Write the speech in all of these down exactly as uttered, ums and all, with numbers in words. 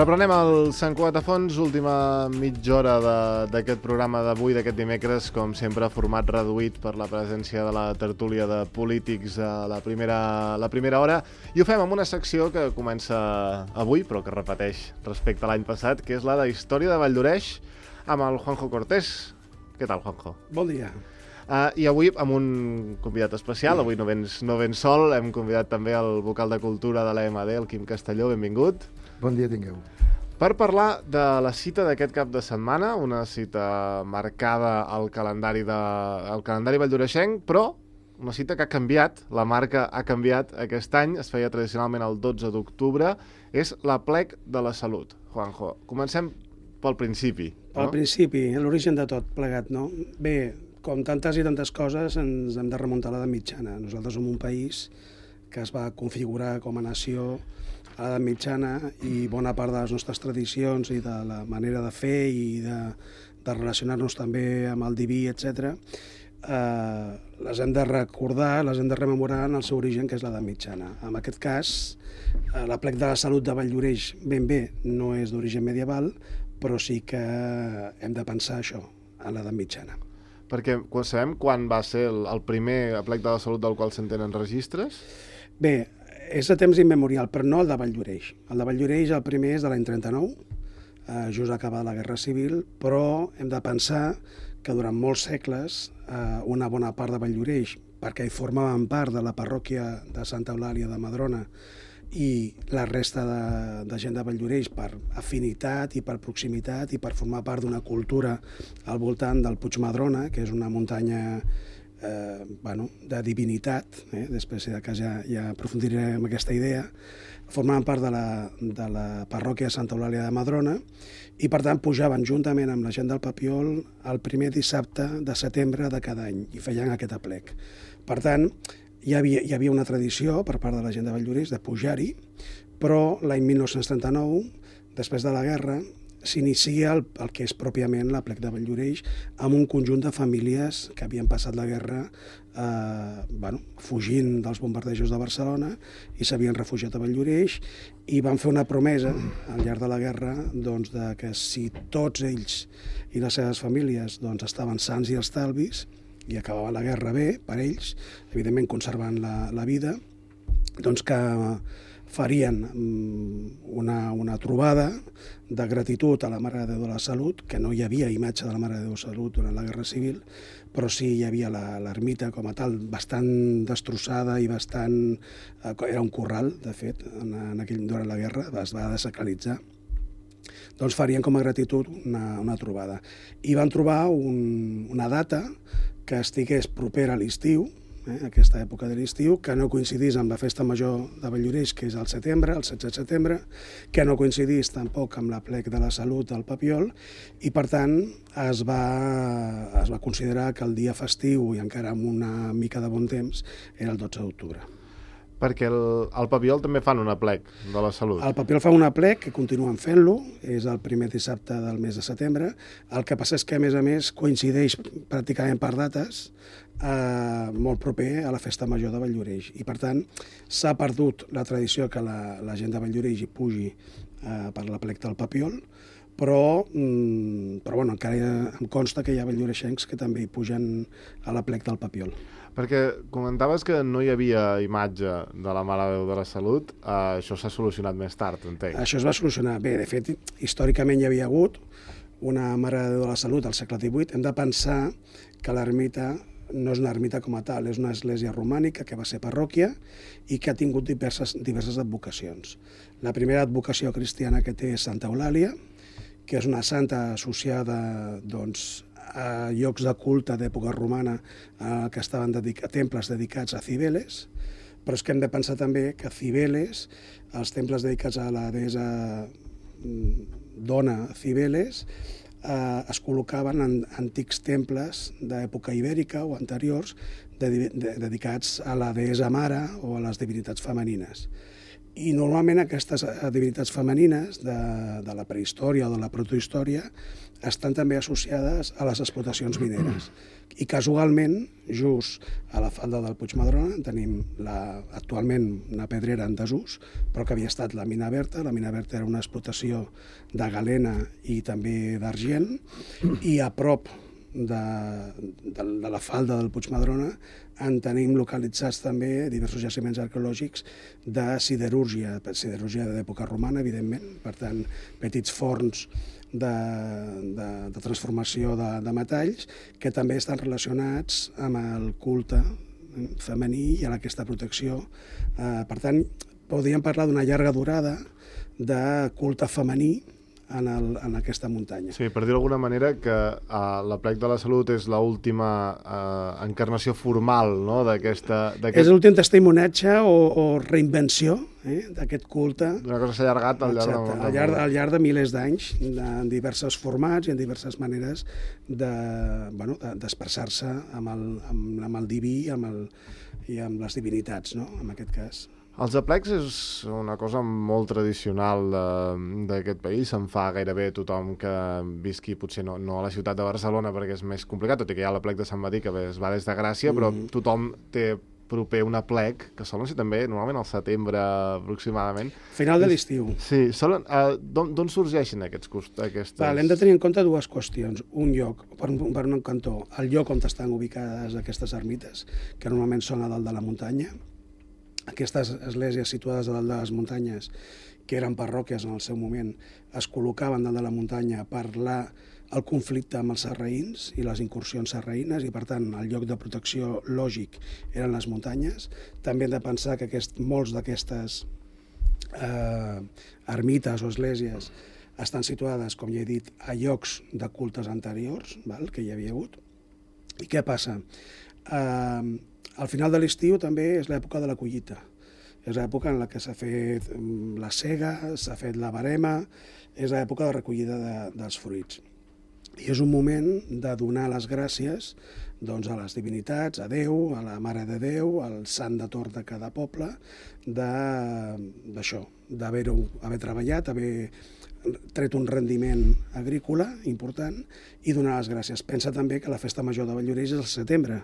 Reprenem el Sant Cugat a fons, última mitja hora d'aquest programa d'avui, d'aquest dimecres, com sempre, format reduït per la presència de la tertúlia de polítics a la primera, la primera hora. I ho fem amb una secció que comença avui, però que repeteix respecte a l'any passat, que és la de Història de Valldoreix, amb el Juanjo Cortés. Què tal, Juanjo? Bon dia. Uh, I avui amb un convidat especial, avui no vens, no vens sol, hem convidat també el vocal de Cultura de l'E M D, el Quim Castelló, benvingut. Bon dia tingueu. Per parlar de la cita d'aquest cap de setmana, una cita marcada al calendari, de, al calendari valldoreixenc, però una cita que ha canviat, la marca ha canviat aquest any, es feia tradicionalment el dotze d'octubre, és l'Aplec de la Salut. Juanjo, comencem pel principi. No? Pel principi, l'origen de tot plegat, no? Bé, com tantes i tantes coses, ens hem de remuntar a l'edat mitjana. Nosaltres som un país que es va configurar com a nació a l'edat mitjana i bona part de les nostres tradicions i de la manera de fer i de, de relacionar-nos també amb el diví, etcètera, eh, les hem de recordar, les hem de rememorar en el seu origen, que és l'edat mitjana. En aquest cas, eh, l'Aplec de la Salut de Valldoreix ben bé no és d'origen medieval, però sí que hem de pensar això, a l'edat mitjana. Perquè sabem quan va ser el, el primer Aplec de la Salut del qual se'n tenen registres? Bé, és de temps immemorial, però no el de Valldoreix. El de Valldoreix, el primer és de l'any trenta-nou, eh, just acabada la Guerra Civil, però hem de pensar que durant molts segles eh, una bona part de Valldoreix, perquè hi formaven part de la parròquia de Santa Eulàlia de Madrona i la resta de, de gent de Valldoreix per afinitat i per proximitat i per formar part d'una cultura al voltant del Puig Madrona, que és una muntanya Eh, bueno, de divinitat, eh? Després si de cas ja, ja aprofundiré en aquesta idea, formaven part de la, de la parròquia de Santa Eulàlia de Madrona i per tant pujaven juntament amb la gent del Papiol el primer dissabte de setembre de cada any i feien aquest aplec. Per tant, hi havia, hi havia una tradició per part de la gent de Valldoreix de pujar-hi, però l'any mil nou-cents trenta-nou, després de la guerra, s'inicia el, el que és pròpiament l'Aplec de Valldoreix amb un conjunt de famílies que havien passat la guerra eh, bueno, fugint dels bombardejos de Barcelona i s'havien refugiat a Valldoreix i van fer una promesa al llarg de la guerra doncs, de que si tots ells i les seves famílies doncs, estaven sants i estalvis i acabava la guerra bé per ells, evidentment conservant la, la vida, doncs que farien una, una trobada de gratitud a la Mare de Déu de la Salut, que no hi havia imatge de la Mare de Déu de la Salut durant la Guerra Civil, però sí hi havia l'ermita com a tal, bastant destrossada i bastant... Era un corral, de fet, en, en aquell, durant la guerra, es va desacralitzar. Doncs farien com a gratitud una, una trobada. I van trobar un, una data que estigués propera a l'estiu, Eh, aquesta època de l'estiu, que no coincidís amb la festa major de Valldoreix, que és al setembre, el setze de setembre, que no coincidís tampoc amb l'Aplec de la Salut del Papiol, i per tant es va, es va considerar que el dia festiu, i encara amb una mica de bon temps, era el dotze d'octubre. Perquè el, el Papiol també fan un aplec de la Salut. El Papiol fa un aplec, que continuen fent-lo, és el primer dissabte del mes de setembre. El que passa és que, a més a més, coincideix pràcticament per dates eh, molt proper a la festa major de Valldoreix. I, per tant, s'ha perdut la tradició que la, la gent de Valldoreix hi pugi eh, per l'aplec del Papiol, però, mm, però bueno, encara ha, em consta que hi ha valldoreixencs que també hi pugen a l'aplec del Papiol. Perquè comentaves que no hi havia imatge de la Mare de Déu de la Salut, eh, això s'ha solucionat més tard, entenc. Això es va solucionar. Bé, de fet, històricament hi havia hagut una Mare de Déu de la Salut al segle divuit. Hem de pensar que l'ermita no és una ermita com a tal, és una església romànica que va ser parròquia i que ha tingut diverses, diverses advocacions. La primera advocació cristiana que té és Santa Eulàlia, que és una santa associada doncs, a llocs de culte d'època romana eh, que estaven dedic- a temples dedicats a Cibeles, però és que hem de pensar també que Cibeles, els temples dedicats a la deessa dona Cibeles, eh, es col·locaven en antics temples d'època ibèrica o anteriors de, de, dedicats a la deessa mare o a les divinitats femenines. I normalment aquestes divinitats femenines de, de la prehistòria o de la protohistòria estan també associades a les explotacions mineres. I casualment, just a la falda del Puigmadrona, tenim la, actualment una pedrera en desús, però que havia estat la mina Berta. La mina Berta era una explotació de galena i també d'argent, i a prop de, de, de la falda del Puigmadrona en tenim localitzats també diversos jaciments arqueològics de siderúrgia, siderúrgia d'època romana, evidentment, per tant, petits forns de, de, de transformació de, de metalls que també estan relacionats amb el culte femení i amb aquesta protecció. Eh, per tant, podríem parlar d'una llarga durada de culte femení en, el, en aquesta muntanya. Sí, per dir d'alguna manera que uh, l'Aplec de la Salut és l'última uh, encarnació formal, no?, d'aquesta... És l'últim testimonatge o, o reinvenció eh, d'aquest culte. D'una cosa que s'ha allargat al llarg, Exacte, de... al llarg, al llarg de milers d'anys, en diversos formats i en diverses maneres de, bueno, d'expressar-se amb, el, amb, amb el diví amb el, i amb les divinitats, no?, en aquest cas. Els aplecs és una cosa molt tradicional d'aquest país, se'n fa gairebé tothom que visqui, potser no, no a la ciutat de Barcelona perquè és més complicat, tot i que hi ha l'aplec de Sant Martí que es va des de Gràcia, mm. però tothom té proper un aplec, que solen ser també normalment al setembre aproximadament. Final de l'estiu. Sí, solen, uh, d'on sorgeixen aquests aquestes... Val, hem de tenir en compte dues qüestions. Un lloc, per un, per un cantó, el lloc on estan ubicades aquestes ermites, que normalment són a dalt de la muntanya. Aquestes esglésies situades a dalt de les muntanyes, que eren parròquies en el seu moment, es col·locaven dalt de la muntanya per la, el conflicte amb els sarraïns i les incursions sarraïnes, i per tant el lloc de protecció lògic eren les muntanyes. També hem de pensar que aquest, molts d'aquestes eh, ermites o esglésies estan situades, com ja he dit, a llocs de cultes anteriors, val, que hi havia hagut. I què passa? Eh, Al final de l'estiu també és l'època de la collita. És l'època en la que s'ha fet la sega, s'ha fet la barema, és l'època de recollida de, dels fruits. I és un moment de donar les gràcies doncs, a les divinitats, a Déu, a la Mare de Déu, al sant de torn de cada poble, d'això, d'haver treballat, haver tret un rendiment agrícola important i donar les gràcies. Pensa també que la festa major de Valldoreix és al setembre,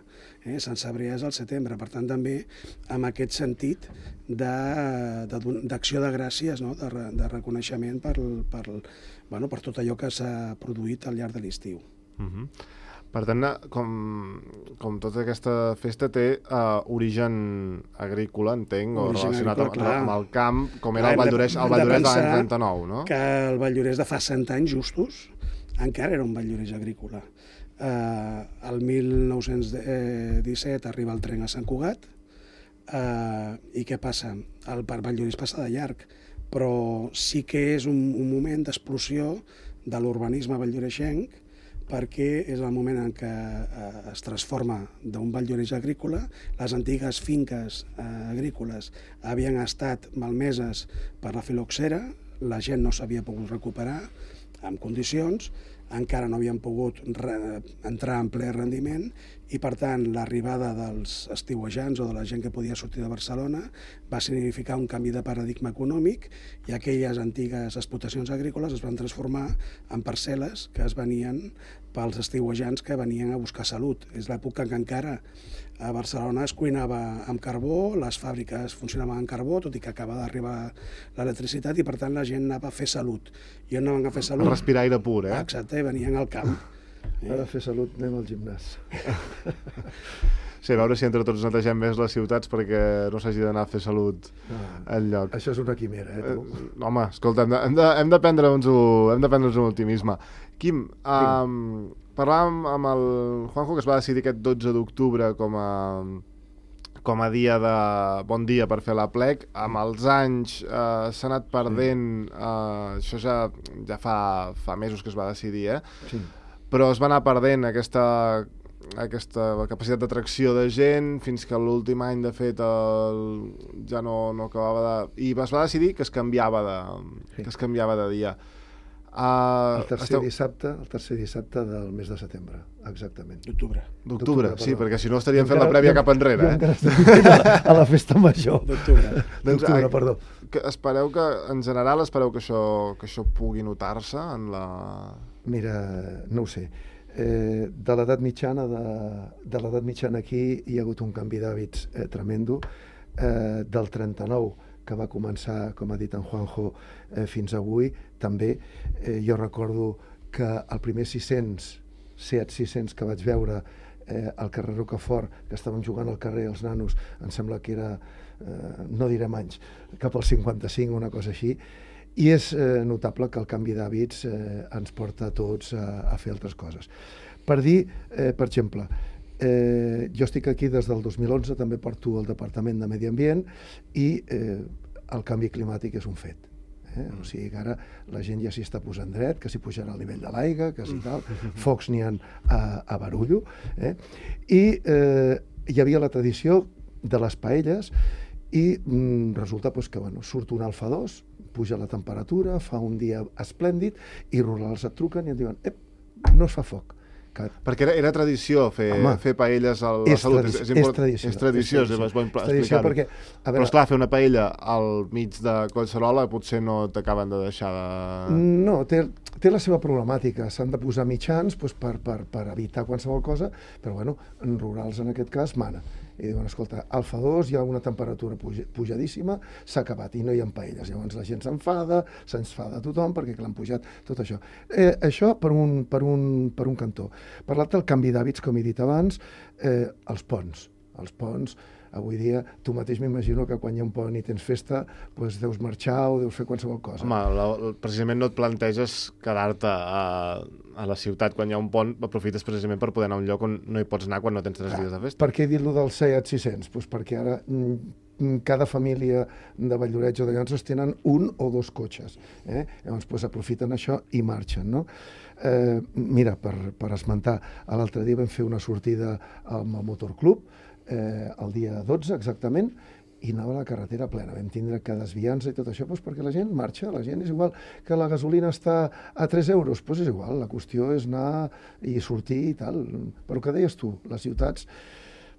eh? Sant Cebrià és al setembre, per tant també amb aquest sentit d'acció de, de, de gràcies, no? de, de reconeixement per, per, bueno, per tot allò que s'ha produït al llarg de l'estiu. Uh-huh. Per tant, com, com tota aquesta festa té uh, origen agrícola, entenc, o relacionat amb, amb el camp, com era el Valldoreix, el Valldoreix de l'any trenta-nou, no? Que el Valldoreix de fa cent anys justos encara era un Valldoreix agrícola. Uh, el mil nou-cents disset arriba el tren a Sant Cugat, uh, i què passa? El parc Valldoreix passa de llarg, però sí que és un, un moment d'explosió de l'urbanisme valldoreixenc, perquè és el moment en què eh, es transforma d'un Valldoreix agrícola. Les antigues finques eh, agrícoles havien estat malmeses per la filoxera, la gent no s'havia pogut recuperar en condicions, encara no havien pogut entrar en ple rendiment i, per tant, l'arribada dels estiuejants o de la gent que podia sortir de Barcelona va significar un canvi de paradigma econòmic i aquelles antigues explotacions agrícoles es van transformar en parcel·les que es venien pels estiuejants que venien a buscar salut. És l'època en què encara a Barcelona es cuinava amb carbó, les fàbriques funcionaven amb carbó, tot i que acaba d'arribar l'electricitat i, per tant, la gent anava a fer salut. I on anaven a fer salut? A respirar aire pur, eh? Exacte, venien al camp. Ara a fer salut anem al gimnàs. Sí, a veure si entre tots netegem més les ciutats perquè no s'hagi d'anar a fer salut enlloc. Això és una quimera, eh, tu? Eh, home, escolta, hem de, hem de, hem de prendre'ns hem de prendre'ns un optimisme. Quim, um, parlàvem amb el Juanjo, que es va decidir aquest dotze d'octubre com a, com a dia de bon dia per fer l'aplec. Amb els anys eh, s'ha anat perdent, eh, això ja, ja fa, fa mesos que es va decidir, eh? Sí. Però es va anar perdent aquesta, aquesta capacitat d'atracció de gent fins que l'últim any, de fet, el, ja no, no acabava de... I es va decidir que es canviava de, sí. que es canviava de dia. Uh, el, tercer esteu... dissabte, el tercer dissabte del mes de setembre, exactament. D'octubre. D'octubre, sí, perquè si no estaríem fent la prèvia cap enrere. Jo encara eh? a la festa major. D'octubre. D'octubre, perdó. Que espereu que, en general, espereu que això, que això pugui notar-se en la... Mira, no ho sé. Eh, de l'edat mitjana de, de l'edat mitjana aquí hi ha hagut un canvi d'hàbits eh, tremendo. Eh, del trenta-nou, que va començar, com ha dit en Juanjo, eh, fins avui, també. Eh, jo recordo que el primer sis-cents, Seat sis-cents que vaig veure eh, al carrer Rocafort, que estàvem jugant al carrer els nanos, em sembla que era, eh, no direm anys, cap al cinquanta-cinc o una cosa així, i és eh, notable que el canvi d'hàbits eh, ens porta a tots a, a fer altres coses. Per dir, eh, per exemple, eh, jo estic aquí des del dos mil onze, també porto el Departament de Medi Ambient i eh, el canvi climàtic és un fet. Eh? O sigui que ara la gent ja s'hi està posant dret, que s'hi pujarà el nivell de l'aigua, que si tal, focs n'hi ha a, a Barullo. Eh? I eh, hi havia la tradició de les paelles i mm, resulta pues, que bueno, surt un Alfa dos, puja la temperatura, fa un dia esplèndid i rurals et truquen i et diuen ep, no es fa foc. Que... Perquè era, era tradició fer, fer paelles a la és Salut. Tradició, és, és, és tradició. És tradició, és, és bo explicar-ho. Perquè, a veure, però esclar, fer una paella al mig de Collserola potser no t'acaben de deixar de... No, té, té la seva problemàtica. S'han de posar mitjans pues, per, per, per evitar qualsevol cosa, però bueno, en rurals en aquest cas mana. I diuen, escolta, Alfa dos, hi ha una temperatura puja, pujadíssima, s'ha acabat i no hi ha paelles. Llavors la gent s'enfada, s'enfada tothom perquè l'han pujat, tot això. Eh, això per un, per, un, per un cantó. Per l'altre, el canvi d'hàbits, com he dit abans, eh, els ponts. Els ponts, avui dia, tu mateix m'imagino que quan hi ha un pont i tens festa, doncs deus marxar o deus fer qualsevol cosa. Home, la, precisament no et planteges quedar-te a, a la ciutat quan hi ha un pont, aprofites precisament per poder anar a un lloc on no hi pots anar quan no tens tres dies de festa. Per què he dit-lo del Seat sis-cents? Pues perquè ara mm, cada família de Valldoreix o de Llanços tenen un o dos cotxes. Eh? Llavors pues, aprofiten això i marxen, no? Eh, mira, per, per esmentar, l'altre dia vam fer una sortida amb el Motorclub, eh, el dia dotze exactament, i anava a la carretera plena. Vam tindre que desviar-nos i tot això doncs perquè la gent marxa, la gent és igual que la gasolina està a tres euros, doncs és igual, la qüestió és anar i sortir i tal. Però que deies tu, les ciutats,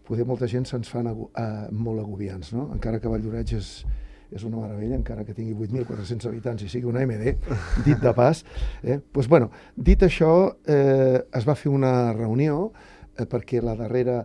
poder molta gent se'ns fan agu eh, molt agobiants, no? Encara que Valldoreix és, és una meravella, encara que tingui vuit mil quatre-cents habitants i sigui una eme de, dit de pas. Eh? Pues, bueno, dit això, eh, es va fer una reunió eh, perquè la darrera...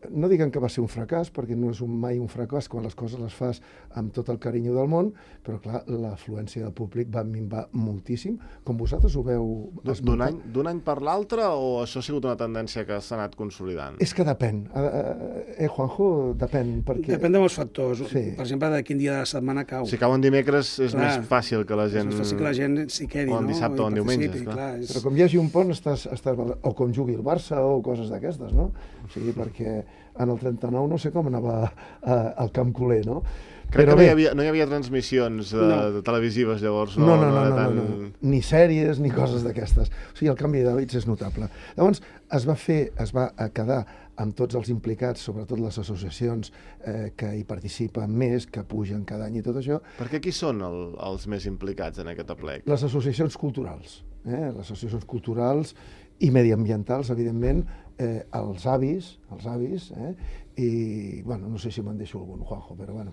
No diguen que va ser un fracàs, perquè no és un, mai un fracàs quan les coses les fas amb tot el carinyo del món, però clar, l'afluència del públic va minvar moltíssim, com vosaltres ho veu... D'un any, d'un any per l'altre o això ha sigut una tendència que s'ha anat consolidant? És que depèn. Eh, Juanjo, depèn. Perquè... Depèn de molts factors. Sí. Per exemple, de quin dia de la setmana cau. Si cau en dimecres és clar, més fàcil que la gent... És més fàcil que la gent s'hi quedi, o en dissabte no? o en diumenges, clar. clar és... Però com hi hagi un pont, estàs, estàs... o com jugui el Barça o coses d'aquestes, no? O sigui, perquè en el trenta-nou no sé com anava a, al Camp Culer, no? Crec Però que no bé, hi, havia, no hi havia transmissions de, no. de televisives, llavors. No, no, no, no, no, no, tan... no, no. Ni sèries ni coses d'aquestes. O sigui, el canvi d'hàbits és notable. Llavors, es va fer, es va quedar amb tots els implicats, sobretot les associacions eh, que hi participen més, que pugen cada any i tot això. Perquè qui són el, els més implicats en aquest aplec? Les associacions culturals. Eh? Les associacions culturals i mediambientals, evidentment, eh, els avis, els avis, eh? I, bueno, no sé si me'n deixo algun, Juanjo, però bueno,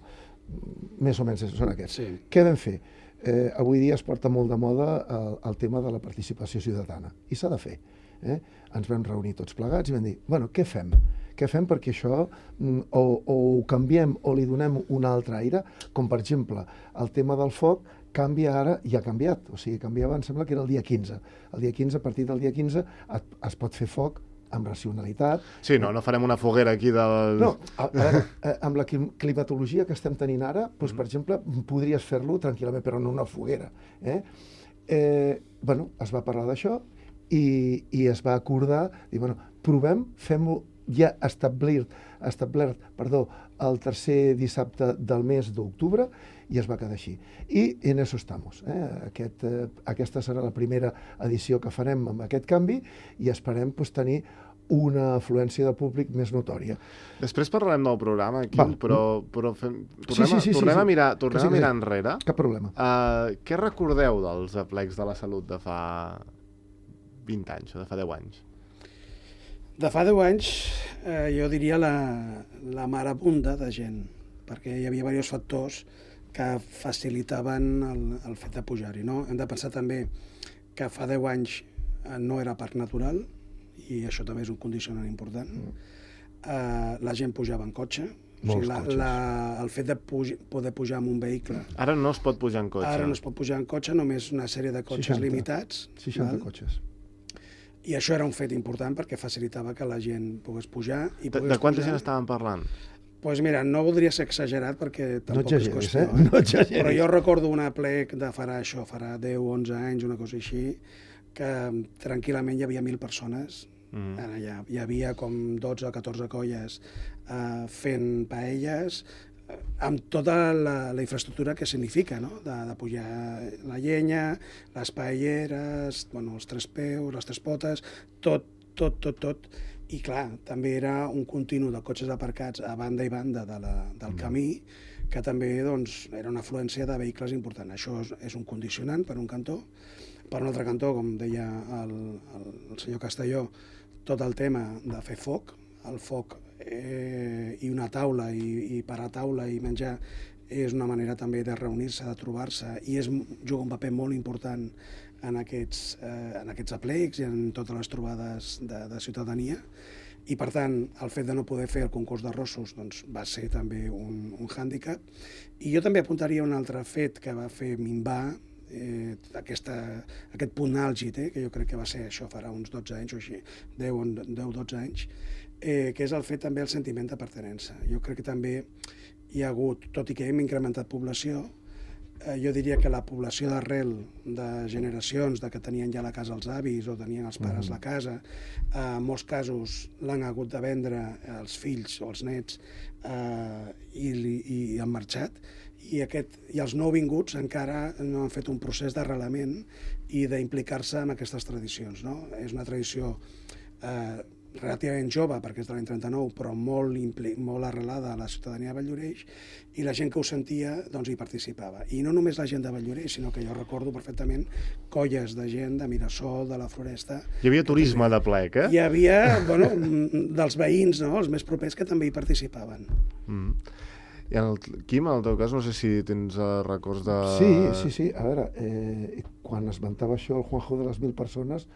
més o menys són aquests. Sí. Què vam fer? Eh, avui dia es porta molt de moda el, el tema de la participació ciutadana, i s'ha de fer. Eh? Ens vam reunir tots plegats i vam dir, bueno, què fem? Què fem perquè això o, o ho canviem o li donem un altre aire, com per exemple el tema del foc canvia ara i ha canviat, o sigui, canviava, em sembla que era el dia quinze. El dia quinze, a partir del dia quinze, es, es pot fer foc amb racionalitat. Sí, no, no farem una foguera aquí del... No, a, a veure, amb la climatologia que estem tenint ara, doncs, per exemple, podries fer-lo tranquil·lament, però no una foguera. Eh? Eh, bueno, es va parlar d'això i, i es va acordar, dir, bueno, provem, fem-ho ja establert, establert perdó, el tercer dissabte del mes d'octubre, i es va quedar així. I en eso estamos. Eh? Aquest, eh, aquesta serà la primera edició que farem amb aquest canvi i esperem pues, tenir una afluència de públic més notòria. Després parlarem del programa, aquí, Val. però, però fem, tornem, sí, sí, sí, a, tornem, sí, sí. a mirar, tornem sí, a mirar sí. enrere. Cap problema. Uh, què recordeu dels aplecs de la Salut de fa vint anys o de fa deu anys? De fa deu anys, eh, jo diria la, la marabunda de gent, perquè hi havia diversos factors que facilitaven el, el fet de pujar-hi. No? Hem de pensar també que fa deu anys eh, no era parc natural, i això també és un condicionant important. Mm. Uh, la gent pujava en cotxe. O sigui, la, la, el fet de puj, poder pujar amb un vehicle... Ara no es pot pujar en cotxe. Ara no es pot pujar en cotxe, només una sèrie de cotxes seixanta, limitats. seixanta val? Cotxes. I això era un fet important perquè facilitava que la gent pogués pujar. I pogués de, de quanta pujar. gent estàvem parlant? Doncs pues mira, no voldria ser exagerat perquè tampoc no és qüestió. Eh? No exageris. Però jo recordo una plec de farà això, farà deu o onze anys, una cosa així, que tranquil·lament hi havia mil persones. Mm. Ara ja, hi havia com dotze o catorze colles eh, fent paelles eh, amb tota la, la infraestructura que significa, no? de, de pujar la llenya, les paelleres, bueno, els tres peus, les tres potes, tot, tot, tot, tot. I clar, també era un continu de cotxes aparcats a banda i banda de la, del mm. camí, que també doncs, era una afluència de vehicles important. Això és, és un condicionant per un cantó. Per un altre cantó, com deia el, el, el senyor Castelló, tot el tema de fer foc, el foc eh, i una taula, i, i parar taula i menjar, és una manera també de reunir-se, de trobar-se, i és, juga un paper molt important en aquests, eh, en aquests aplecs i en totes les trobades de, de ciutadania. I, per tant, el fet de no poder fer el concurs d'arrossos doncs, va ser també un, un hàndicap. I jo també apuntaria un altre fet que va fer minvar Eh, aquesta, aquest punt àlgid, eh, que jo crec que va ser això farà uns dotze anys o així, deu o dotze anys, eh, que és el fet també el sentiment de pertinença. Jo crec que també hi ha hagut, tot i que hem incrementat població, eh, jo diria que la població d'arrel de generacions de que tenien ja la casa els avis o tenien els pares mm. la casa, eh, en molts casos l'han hagut de vendre els fills o els nets eh, i, i, i han marxat. I, aquest, i els nouvinguts encara no han fet un procés d'arrelament i d'implicar-se en aquestes tradicions. No? És una tradició eh, relativament jove, perquè és de l'any trenta-nou, però molt, molt arrelada a la ciutadania de Valldoreix, i la gent que ho sentia doncs, hi participava. I no només la gent de Valldoreix, sinó que jo recordo perfectament colles de gent de Mirasol, de la Floresta... Hi havia turisme de plec, eh? Hi havia, bueno, dels veïns, no?, els més propers, que també hi participaven. Mm. I en el, Quim, en el teu cas, no sé si tens uh, records de... Sí, sí, sí. A veure, eh, quan esmentava això el Juanjo de les mil persones,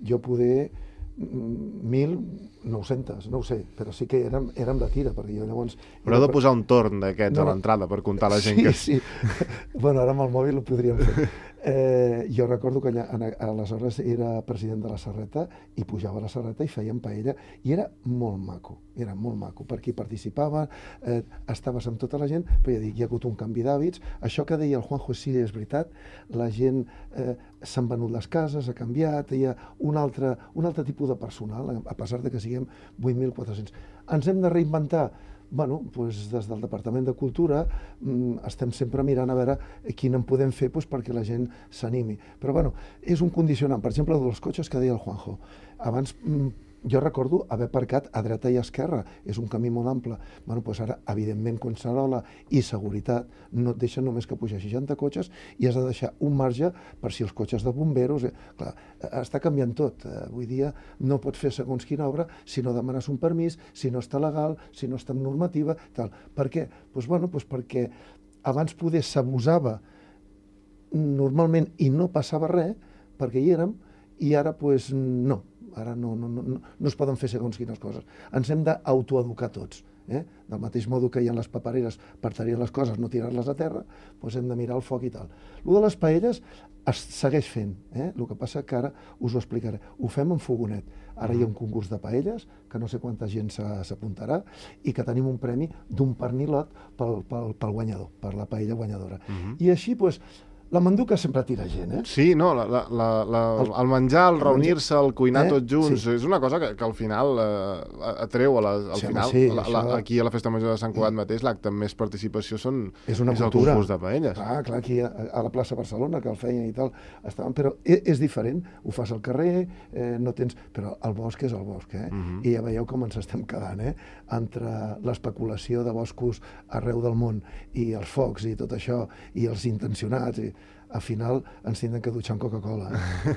jo poder mil nou-centes, no ho sé, però sí que érem, érem de tira, perquè jo llavors... Però heu de posar un torn d'aquests no, a l'entrada per comptar la gent sí, que... Sí, sí. Bueno, ara amb el mòbil ho podríem fer. Eh, jo recordo que allà, aleshores era president de la Serreta i pujava a la Serreta i fèiem paella i era molt maco, era molt maco, perquè hi participava, eh, estaves amb tota la gent, però ja dic, hi ha hagut un canvi d'hàbits. Això que deia el Juanjo sí, és veritat, la gent eh, s'han venut les cases, ha canviat, hi ha un altre, un altre tipus de personal, a pesar de que siguem vuit mil quatre-cents. Ens hem de reinventar. Bueno, doncs des del Departament de Cultura mm, estem sempre mirant a veure quin en podem fer doncs, perquè la gent s'animi. Però bueno, és un condicionant. Per exemple, dels cotxes que deia el Juanjo. Abans mm, jo recordo haver aparcat a dreta i a esquerra. És un camí molt ample. Bueno, doncs ara, evidentment, Collserola i seguretat no et deixen només que pujar seixanta cotxes i has de deixar un marge per si els cotxes de bomberos... Eh, clar, està canviant tot. Eh, avui dia no pots fer segons quina obra si no demanes un permís, si no està legal, si no està en normativa, tal. Per què? Doncs, bueno, doncs perquè abans poder s'abusava normalment i no passava res, perquè hi érem, i ara doncs no. Ara no, no, no, no es poden fer segons quines coses. Ens hem d'autoeducar tots. Eh? Del mateix modo que hi ha les papereres per tenir les coses, no tirar-les a terra, doncs hem de mirar el foc i tal. Lo de les paelles es segueix fent, eh? El que passa que ara us ho explicaré. Ho fem en fogonet. Ara hi ha un concurs de paelles, que no sé quanta gent s'apuntarà, i que tenim un premi d'un pernilot pel, pel, pel guanyador, per la paella guanyadora. Uh-huh. I així, doncs, la manduca sempre tira gent, eh? Sí, no, la, la, la, la, el, el menjar, el reunir-se, el cuinar eh? tots junts, sí. És una cosa que, que al final eh, atreu, a la, al sí, final, sí, la, la, aquí a la Festa Major de Sant Cugat mateix, l'acte amb més participació són, és, una és el cultura. concurs de paelles. Clar, clar, aquí a, a la plaça Barcelona, que el feien i tal, estaven, però és, és diferent, ho fas al carrer, eh, no tens... Però el bosc és el bosc, eh? Uh-huh. I ja veieu com ens estem quedant, eh? Entre l'especulació de boscos arreu del món i els focs i tot això, i els intencionats... I, al final ens tindran que dutxar amb Coca-Cola. Eh?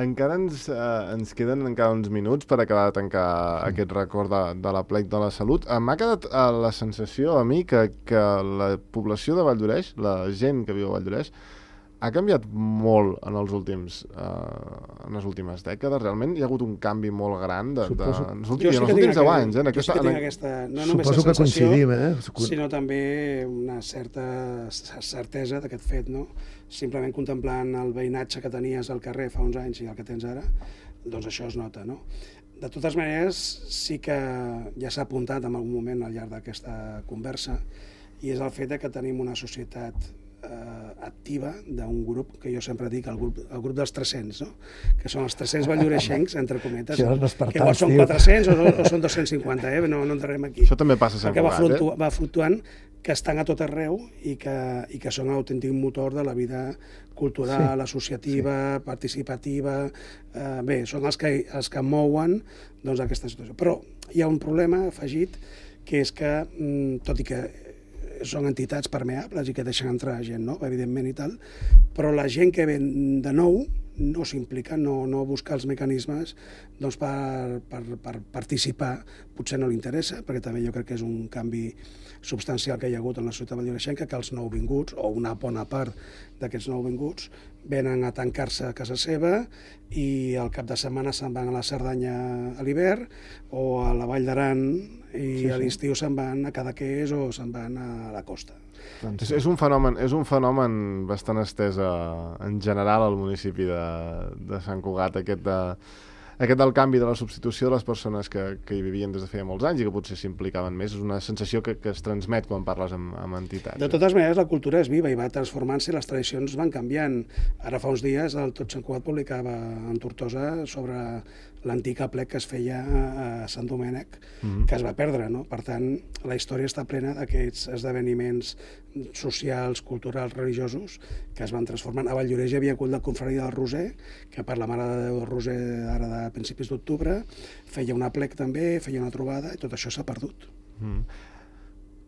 Encara ens, eh, ens queden encara uns minuts per acabar de tancar mm. aquest record de, de la plec de la salut. Eh, M'ha quedat eh, la sensació a mi que, que la població de Valldoreix, la gent que viu a Valldoreix, ha canviat molt en els últims uh, en les últimes dècades? Realment hi ha hagut un canvi molt gran de, de, Suposo... en els últims, en els últims deu anys. Eh? En aquesta, jo sí que tinc en... aquesta, no només Suposo la sensació, que coincidim, eh? sinó també una certa certesa d'aquest fet, no? Simplement contemplant el veïnatge que tenies al carrer fa uns anys i el que tens ara, doncs això es nota, no? De totes maneres, sí que ja s'ha apuntat en algun moment al llarg d'aquesta conversa, i és el fet de que tenim una societat eh, activa d'un grup que jo sempre dic, el grup, el grup dels tres-cents, no? Que són els tres-cents valloreixencs, entre cometes, sí, que igual són quatre-cents o, o són dos-cents cinquanta, eh? no, no entrarem aquí. Això també passa a Sant Cugat, va, fluctu eh? va fluctuant, que estan a tot arreu i que, i que són l'autèntic motor de la vida cultural, sí, associativa, sí, participativa. Eh, bé, són els que, els que mouen doncs, aquesta situació. Però hi ha un problema afegit, que és que, tot i que són entitats permeables i que deixen entrar gent, no? Evidentment i tal, però la gent que ven de nou no s'implica, no, no busca els mecanismes doncs, per, per, per participar. Potser no li interessa, perquè també jo crec que és un canvi substancial que hi ha hagut en la ciutat valldoreixenca, que els nouvinguts, o una bona part d'aquests nouvinguts, venen a tancar-se a casa seva i al cap de setmana se'n van a la Cerdanya a l'hivern o a la Vall d'Aran i sí, sí. a l'estiu se'n van a Cadaqués o se'n van a la costa. És, és, un fenomen, és un fenomen bastant estès a, en general al municipi de, de Sant Cugat, aquest, de, aquest del canvi de la substitució de les persones que, que hi vivien des de feia molts anys i que potser s'implicaven més. És una sensació que, que es transmet quan parles amb, amb entitats. De totes maneres, la cultura és viva i va transformant-se i les tradicions van canviant. Ara fa uns dies el Tot Sant Cugat publicava en Tortosa sobre l'antic aplec que es feia a Sant Domènec, mm-hmm. que es va perdre, no? Per tant, la història està plena d'aquests esdeveniments socials, culturals, religiosos, que es van transformant. A Valldoreix hi havia hagut la confraria del Roser, que per la Mare de Déu del Roser ara de principis d'octubre feia un aplec també, feia una trobada, i tot això s'ha perdut. Mm.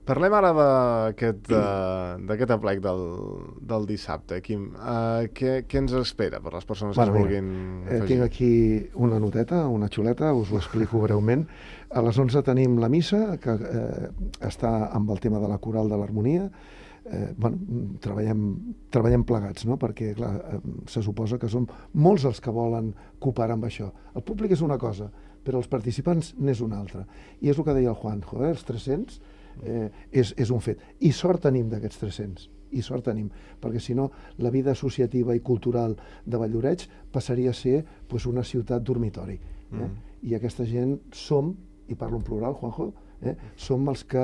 Parlem ara d'aquest d'aquest aplec del, del dissabte. Quim, uh, què, què ens espera per les persones bueno, que es vulguin mira, afegir? Eh, tinc aquí una noteta, una xuleta, us ho explico breument. A les onze tenim la missa, que eh, està amb el tema de la coral de l'harmonia. Eh, bueno, treballem, treballem plegats, no? Perquè clar, eh, se suposa que som molts els que volen cooperar amb això. El públic és una cosa, però els participants n'és una altra. I és el que deia el Juanjo, eh? Els tres-cents eh, és, és un fet. I sort tenim d'aquests tres-cents, i sort tenim, perquè si no la vida associativa i cultural de Valldoreix passaria a ser pues, una ciutat dormitori. Eh? Mm. I aquesta gent som, i parlo en plural, Juanjo, Eh? som els que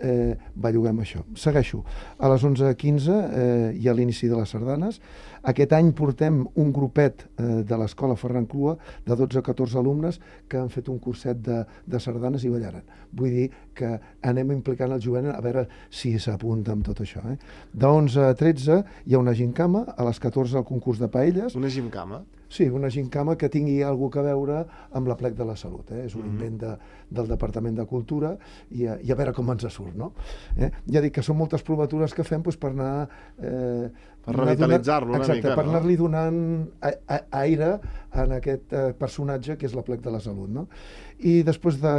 eh, belluguem això. Segueixo. A les onze quinze eh, hi ha l'inici de les sardanes. Aquest any portem un grupet eh, de l'escola Ferran Clua de dotze a catorze alumnes que han fet un curset de, de sardanes i ballaran. Vull dir que anem implicant el jovent a veure si s'apunta amb tot això. Eh? De onze a tretze hi ha una gincama, a les catorze el concurs de paelles. Una gincama? Sí, una gincama que tingui alguna cosa a veure amb l'aplec de la salut. Eh? És un mm-hmm. invent de, del Departament de Cultura i a, i a veure com ens surt, no? Eh? Ja dic que són moltes provatures que fem doncs, per anar... Eh, per revitalitzar-lo una exacte, mica, per no? anar-li donant a, a, aire en aquest eh, personatge que és l'aplec de la salut, no? I després de,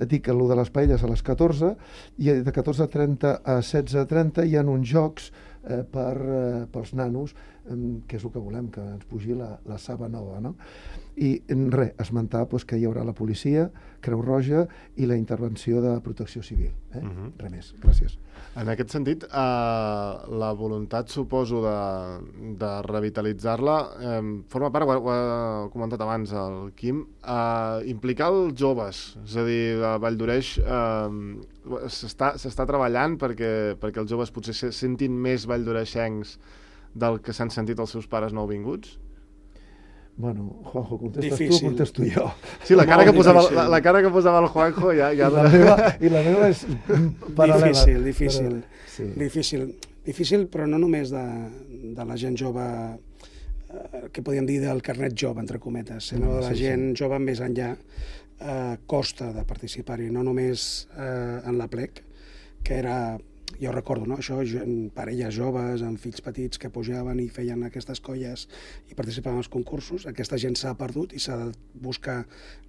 dic, el de les paelles a les catorze, i de catorze trenta a setze trenta hi ha uns jocs eh, per, eh, pels nanos, eh, que és el que volem, que ens pugi la, la saba nova, no? I res, esmentar doncs, que hi haurà la policia, Creu Roja i la intervenció de protecció civil. Eh? Uh-huh. Res més, gràcies. En aquest sentit, eh, la voluntat, suposo, de, de revitalitzar-la, eh, forma part, ho, ho ha comentat abans el Quim, eh, implicar els joves, és a dir, a Valldoreix eh, s'està treballant perquè, perquè els joves potser se sentin més valldoreixencs del que s'han sentit els seus pares nouvinguts? Bueno, Juanjo, contestes difícil. tu o contesto jo? Sí, la cara, que posava, la, la cara que posava el Juanjo ja... ja... I, la meva, I la meva és paral·lela. Difícil, difícil. Però, sí. Difícil. Difícil, però no només de, de la gent jove, eh, que podríem dir del carnet jove, entre cometes, sinó de la sí, gent sí. jove més enllà, eh, costa de participar-hi, no només eh, en l'aplec, que era... Jo recordo, no? Això, parelles joves amb fills petits que pujaven i feien aquestes colles i participaven als concursos. Aquesta gent s'ha perdut i s'ha de buscar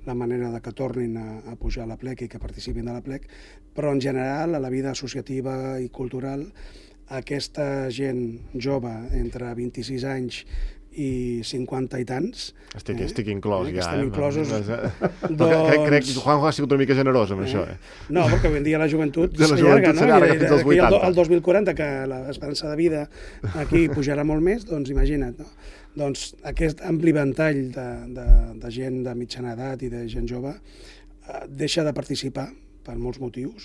la manera de que tornin a, a pujar a l'aplec i que participin de l'aplec, però en general a la vida associativa i cultural aquesta gent jove entre vint-i-sis anys i cinquanta i tants... Estic, eh? estic inclòs, eh? ja. Estem eh? inclosos. doncs... crec, crec que Juanjo ha sigut una mica generós amb eh? això. Eh? No, perquè avui en dia la joventut s'allarga, no? s'allarga fins als vuitanta. El dos mil quaranta, que l'esperança de vida aquí pujarà molt més, doncs imagina't, no? Doncs aquest ampli ventall de, de, de gent de mitjana edat i de gent jove eh, deixa de participar per molts motius,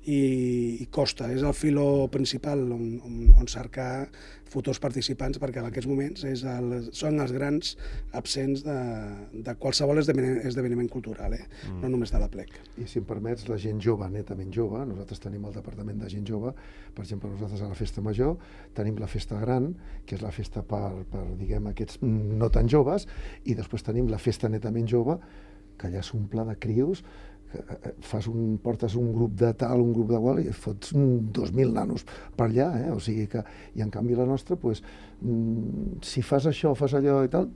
i, i costa. És el filó principal on, on, on cercar futurs participants, perquè en aquests moments és el, són els grans absents de, de qualsevol esdeveniment, esdeveniment cultural, eh? mm. no només de la plec. I si em permets, la gent jove, netament jove, nosaltres tenim el departament de gent jove, per exemple, nosaltres a la festa major tenim la festa gran, que és la festa per, per diguem, aquests no tan joves, i després tenim la festa netament jove, que allà s'omple de crios, fas un, portes un grup de tal, un grup de qual, i fots dos mil nanos per allà, eh? O sigui que, i en canvi la nostra, pues, si fas això, fas allò i tal,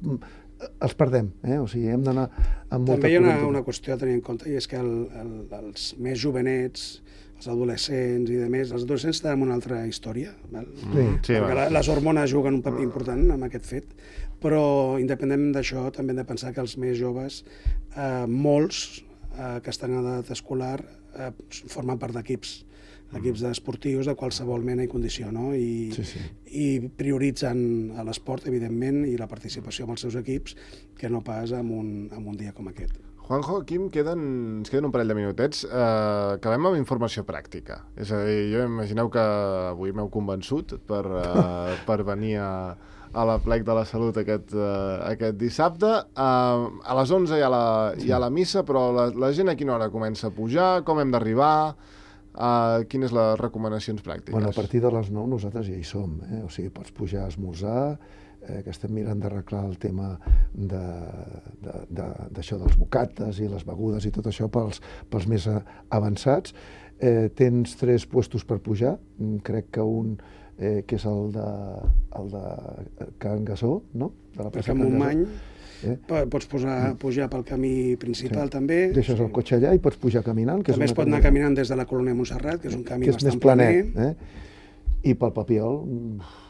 els perdem, eh? O sigui, hem d'anar amb molta... També hi ha una, una qüestió a tenir en compte, i és que el, el, els més jovenets, els adolescents i de més, els adolescents tenen una altra història, val? Sí. Sí, la, les hormones juguen un paper important en aquest fet, però independent d'això també hem de pensar que els més joves, eh, molts, eh, que estan en edat escolar, eh, formen part d'equips, equips esportius de qualsevol mena i condició, no? I, sí, sí. i prioritzen l'esport, evidentment, i la participació amb els seus equips, que no pas en un, en un dia com aquest. Juanjo, aquí em queden, ens queden un parell de minutets. Uh, acabem amb informació pràctica. És a dir, jo imagineu que avui m'heu convençut per, uh, per venir a, a la Plec de la Salut aquest, uh, aquest dissabte. Uh, a les onze hi ha la, hi ha la missa, però la, la gent a quina hora comença a pujar? Com hem d'arribar? Uh, quines les recomanacions pràctiques? Bueno, a partir de les nou nosaltres ja hi som, eh? O sigui, pots pujar a esmorzar, eh, que estem mirant d'arreglar el tema de, de, de, d'això dels bocates i les begudes i tot això pels, pels més avançats. Eh, tens tres puestos per pujar, crec que un eh, que és el de, el de Can Gasó, no? De la plaça Can Montmany. Eh? Pots posar, pujar pel camí principal, sí. també. Deixes el cotxe allà i pots pujar caminant. Que també és es pot anar caminant des de la colònia Montserrat, que és un camí que és bastant més planet. Eh? I pel Papiol...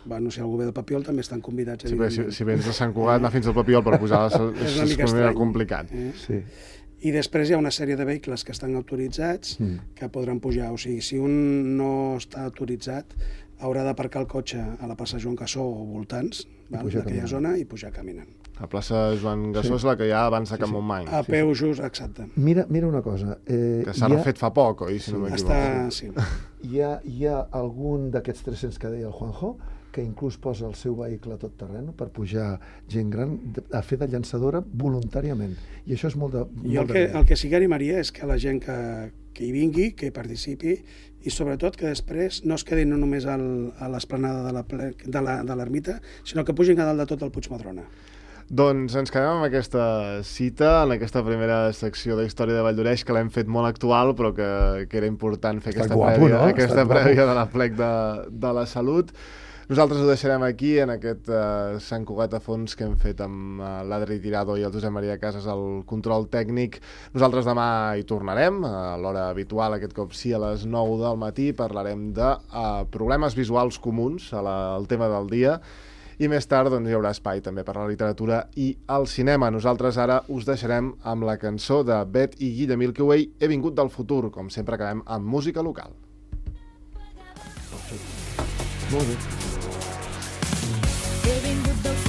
Bueno, si algú ve del Papiol també estan convidats. Sí, si, si vens de Sant Cugat, anar fins al Papiol per pujar a la... és una mica estrany. Complicat. Eh? Sí. I després hi ha una sèrie de vehicles que estan autoritzats mm. que podran pujar. O sigui, si un no està autoritzat, haurà d'aparcar el cotxe a la plaça Joan Cassó o voltants d'aquella zona i pujar caminant. La plaça Joan Gassó sí. és la que hi ha abans de Can sí, sí. Montmany. A peu just, exacte. Mira, mira una cosa. Eh, que s'ha refet ha... fa poc, oi? Si sí, no m'equivoco. Està... Sí. Hi ha, hi ha algun d'aquests tres-cents que deia el Juanjo que inclús posa el seu vehicle a tot terreny per pujar gent gran a fer de llançadora voluntàriament. I això és molt de... I el que, el que sí que animaria és que la gent que, que hi vingui, que hi participi, i sobretot que després no es quedin no només al, a l'esplanada de la, de la, de l'ermita, sinó que pugin a dalt de tot el Puig Madrona. Doncs ens quedem amb aquesta cita, en aquesta primera secció de Història de Valldoreix, que l'hem fet molt actual, però que, que era important fer aquesta, guapo, prèvia, no? aquesta prèvia de la Plec de, de la Salut. Nosaltres ho deixarem aquí, en aquest uh, Sant Cugat a fons que hem fet amb uh, l'Adri Tirado i el Josep Maria Casas, el control tècnic. Nosaltres demà hi tornarem, a l'hora habitual, aquest cop sí, a les nou del matí. Parlarem de uh, problemes visuals comuns, a la, al tema del dia. I més tard doncs, hi haurà espai també per la literatura i el cinema. Nosaltres ara us deixarem amb la cançó de Bet i Guilla Milkyway, He vingut del futur. Com sempre acabem amb música local. Molt bé. He vingut del